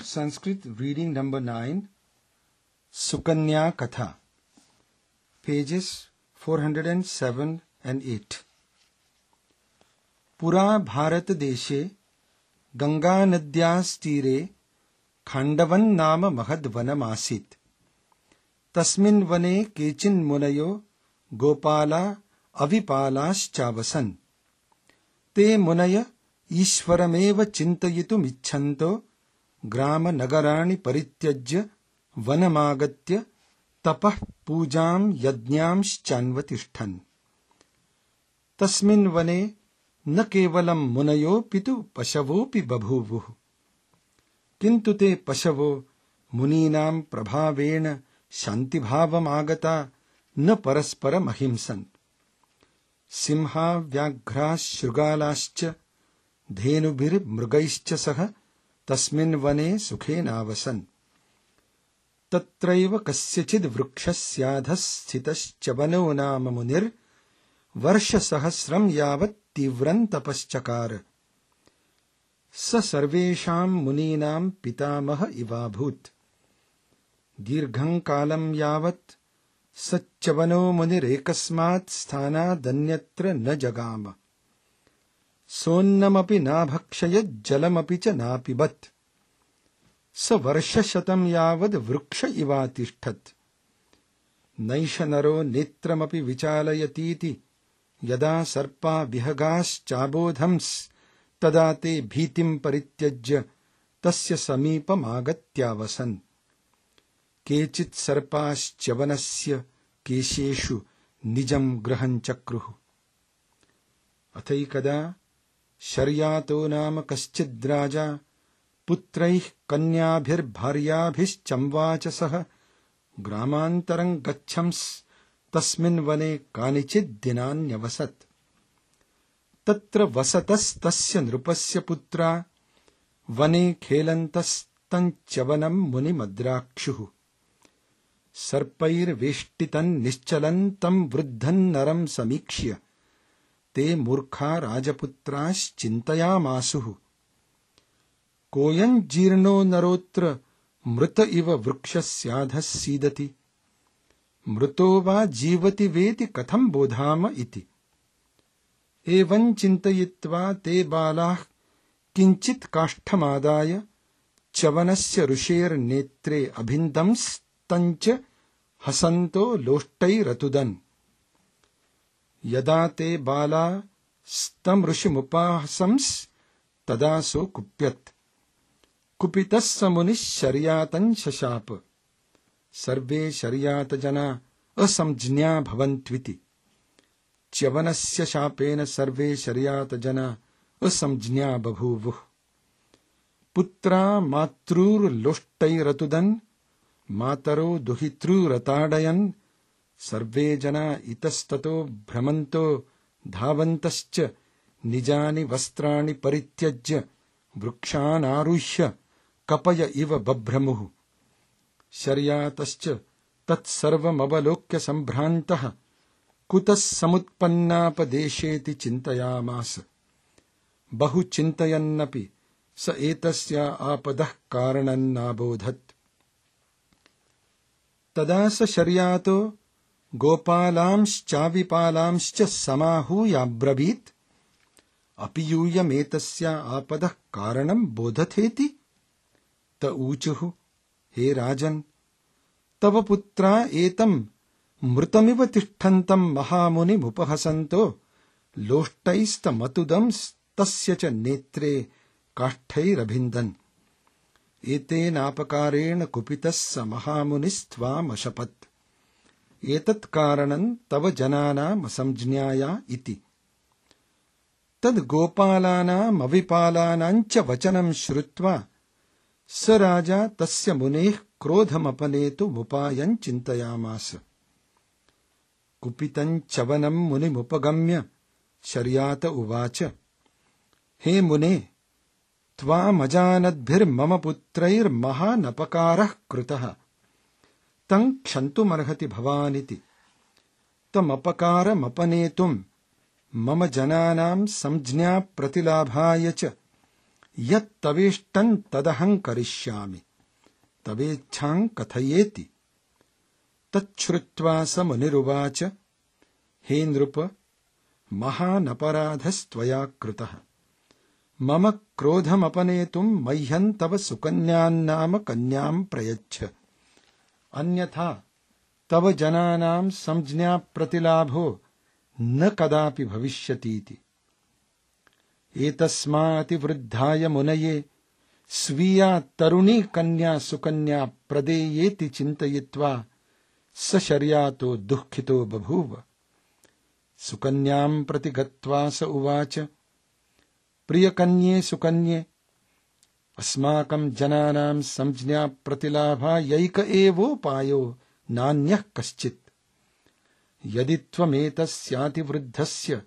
Sanskrit reading number 9, Sukanya Katha, pages 407 and 8. पुरा भारत देशे गंगा नद्यास्तीरे खांडवन नाम महद्वनमासीत्। तस्मिन् वने केचिन् मुनयो गोपाला अविपालाश्चावसन्। ते मुनय ईश्वरमेव चिन्तयितुमिच्छन्तो ग्राम नगराणि परित्यज्य वनमागत्य तपः पूजां यज्ञांश्चान्वतिष्ठन्। तस्मिन् वने न केवलं मुनयोऽपि तु पशवोऽपि बभूवुः, किन्तु ते पशवो मुनीनां प्रभावेण शान्तिभावमागता न परस्परमहिंसन्। सिंहा व्याघ्राः शृगालाश्च धेनुभिर्मृगैश्च सह तस्मिन् वने सुखेनावसन्। तत्रैव कस्यचिद् वृक्षस्याधः स्थितश्चवनो नाम मुनिर्वर्षसहस्रं यावत् तीव्रं तपश्चकार। स सर्वेषां मुनीनां पितामह इवाभूत्। दीर्घं कालं यावत् सच्चवनो मुनिरेकस्मात् स्थानादन्यत्र न जगाम। सोन्नमपि नाभक्षयत् जलमपि च नापिबत्। स वर्षशतं यावद् वृक्ष इवातिष्ठत्। नैष नरो नेत्रमपि विचालयतीति यदा सर्पा विहगाश्चाबोधंस् तदा ते भीतिं परित्यज्य तस्य समीपमागत्यावसन्। केचित् सर्पाश्च्यवनस्य केशेषु निजं गृहं चक्रुः। अथैकदा शर्यातो नाम कश्चिद्राजा पुत्रैः कन्याभिर्भार्याभिश्चम्वाच सह ग्रामान्तरं गच्छंस् तस्मिन् वने कानिचित् दिनान्यवसत्। तत्र वसतस्तस्य नृपस्य पुत्रा वने खेलन्तस्तञ्च्यवनं मुनिमद्राक्षुः। सर्पैर्वेष्टितं निश्चलं तं वृद्धं नरं समीक्ष्य ते मूर्खा राजपुत्राश्चिन्तयामासुः। कोऽयं जीर्णो नरोऽत्र मृत इव वृक्षस्याधः सीदति। मृतो वा जीवति वेति कथं बोधाम इति। एवं चिन्तयित्वा ते बालाः किञ्चित् काष्ठमादाय च्यवनस्य ऋषेर्नेत्रे अभिन्दंस्तञ्च हसन्तो लोष्टैरतुदन्। यदा ते बाला स्तं ऋषिमुपाहसंस् तदा सो कुप्यत्। कुपितः स मुनिः शर्यातं शशाप। सर्वे शर्यातजना असंज्ञा भवन्त्विति। च्यवनस्य शापेन सर्वे शर्यातजना असंज्ञा बभूवुः। पुत्रा मातृर्लोष्टैरतुदन् मातरो दुहितृरताडयन्। सर्वे जना इतस्ततो भ्रमन्तो धावन्तश्च निजानि वस्त्राणि परित्यज्य वृक्षानारुह्य कपय इव बभ्रमुः। शर्यातश्च तत्सर्वमवलोक्य सम्भ्रान्तः कुतः समुत्पन्नापदेशेति चिन्तयामास। बहु चिन्तयन्नपि स एतस्या आपदः कारणं नाबोधत्। तदा स शर्यातो गोपालांश्चाविपालांश्च समाहूयाब्रवीत्। अपि यूयमेतस्या आपदः कारणं बोधथेति। त ऊचुः, हे राजन्, तव पुत्रा एतं मृतमिव तिष्ठन्तं महामुनिमुपहसन्तो लोष्टैस्तमतुदंस्तस्य च नेत्रे काष्ठैरभिन्दन्। एतेनापकारेण कुपितः स महामुनिस्त्वामशपत्। एतत् कारणं तव जनानामसंज्ञाया इति। तद् गोपालानामविपालानां च वचनं श्रुत्वा स राजा तस्य मुनेः क्रोधमपनेतुमुपायं चिन्तयामास। कुपितं च्यवनं मुनिमुपगम्य शर्यात उवाच, हे मुने, त्वामजानद्भिर्मम पुत्रैर्महानपकारः कृतः। तं क्षन्तुमर्हति भवानिति। तमपकारमपनेतुं मम जनानां संज्ञा प्रतिलाभाय च यत्तवेष्टन् तदहं करिष्यामि तवेच्छां कथयेति। तच्छ्रुत्वा स मुनिरुवाच हे नृप महानपराधस्त्वया कृतः। मम क्रोधमपनेतुं मह्यं तव सुकन्यान्नाम कन्यां प्रयच्छ। अन्यथा तव जनानां संज्ञा प्रतिलाभो न कदापि भविष्यतीति। एतस्माऽतिवृद्धाय मुनये स्वीया तरुणी कन्या सुकन्या प्रदेयेति चिन्तयित्वा स शर्यातो दुःखितो बभूव। सुकन्यां प्रति गत्वा स उवाच प्रियकन्ये सुकन्ये अस्माकं जनानां संज्ञा प्रतिलाभायैक एवोपायो नान्यः कश्चित्। यदि त्वमेतस्यातिवृद्धस्य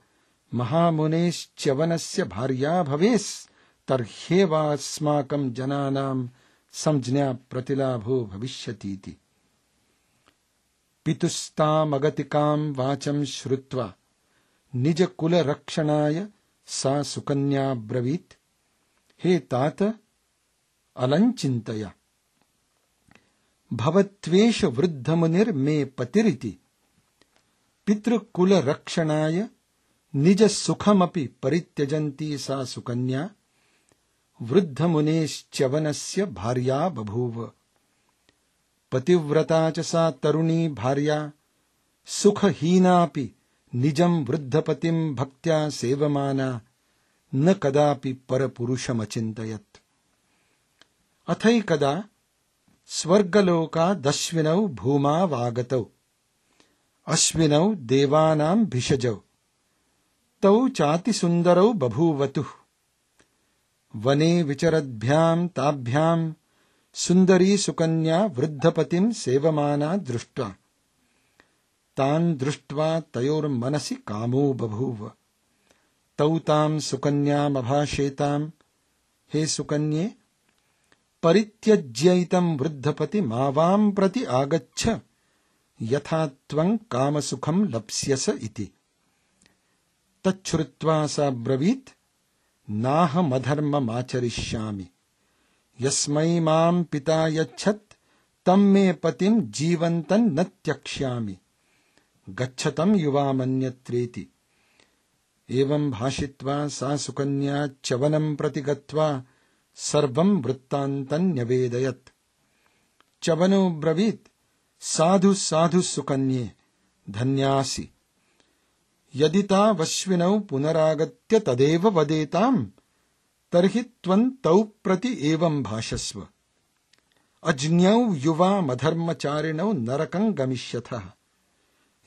महामुनेश्च्यवनस्य भार्या भवेस् तर्ह्येवास्माकं जनानां संज्ञा प्रतिलाभो भविष्यतीति। पितुस्तामगतिकां वाचं श्रुत्वा निजकुलरक्षणाय सा सुकन्या ब्रवीत् हे तात अलञ्चिन्तय। भवत्वेष वृद्धमुनिर्मे पतिरिति। पितृकुलरक्षणाय निजसुखमपि परित्यजन्ती सा सुकन्या वृद्धमुनेश्च्यवनस्य भार्या बभूव। पतिव्रता च सा तरुणी भार्या सुखहीनापि निजं वृद्धपतिं भक्त्या सेवमाना न कदापि परपुरुषमचिन्तयत्। अथैकदा स्वर्गलोकादश्विनौ भूमावागतौ अश्विनौ देवानां भिषजौ तौ चातिसुन्दरौ बभूवतुः। वने विचरद्भ्यां ताभ्यां सुन्दरी सुकन्या वृद्धपतिं सेवमाना दृष्ट्वा तान् दृष्ट्वा तयोर्मनसि कामो बभूव। तौ तां सुकन्यामभाषेतां हे सुकन्ये परित्यज्यैतं वृद्धपतिमावां प्रति आगच्छ यथा त्वं कामसुखं लप्स्यस इति। तच्छ्रुत्वा सा ब्रवीत् नाहमधर्ममाचरिष्यामि। यस्मै मां पिता यच्छत् तं मे पतिं जीवन्तं न त्यक्ष्यामि। गच्छतं युवामन्यत्रेति। एवं भाषित्वा सा सुकन्या च्यवनं प्रति गत्वा सर्वं वृत्तान्तं न्यवेदयत्। च्यवनो ब्रवीत् साधु साधु सुकन्ये धन्यासि। यदि तावश्विनौ पुनरागत्य तदेव वदेताम् तर्हि त्वं तौ प्रति एवं भाषस्व। अज्ञौ युवामधर्मचारिणौ नरकं गमिष्यथः।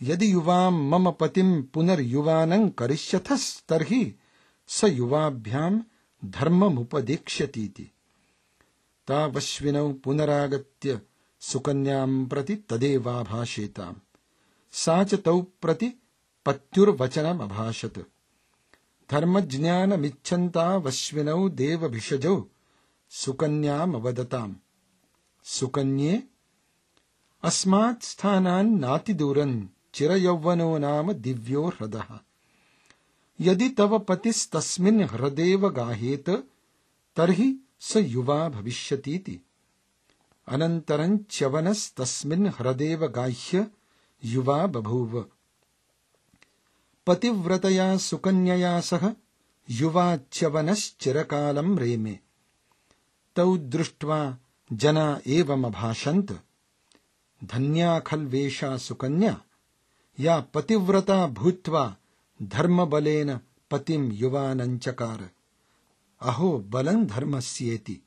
यदि युवां मम पतिं पुनर्युवानं करिष्यथस्तर्हि स युवाभ्यां धर्ममुपदेक्ष्यतीति। तावश्विनौ पुनरागत्य सुकन्यां प्रति तदेवाभाषेताम्। सा च तौ प्रति पत्युर्वचनमभाषत। धर्मज्ञानमिच्छन्तावश्विनौ देवभिषजौ सुकन्यामवदताम्। सुकन्ये अस्मात् स्थानान्नातिदूरं चिरयौवनो नाम दिव्यो ह्रदः। यदि तव पतिस्तस्मिन् ह्रदेव गाहेत तर्हि स युवा भविष्यतीति। अनन्तरं च्यवनस्तस्मिन् ह्रदेव गाह्य युवा बभूव। पतिव्रतया सुकन्यया सह युवा च्यवनश्चिरकालं रेमे। तौ दृष्ट्वा जना एवमभाषन्त धन्या खल्वेषा सुकन्या या पतिव्रता भूत्वा धर्मबलेन पतिं युवानं चकार। अहो बलं धर्मस्येति।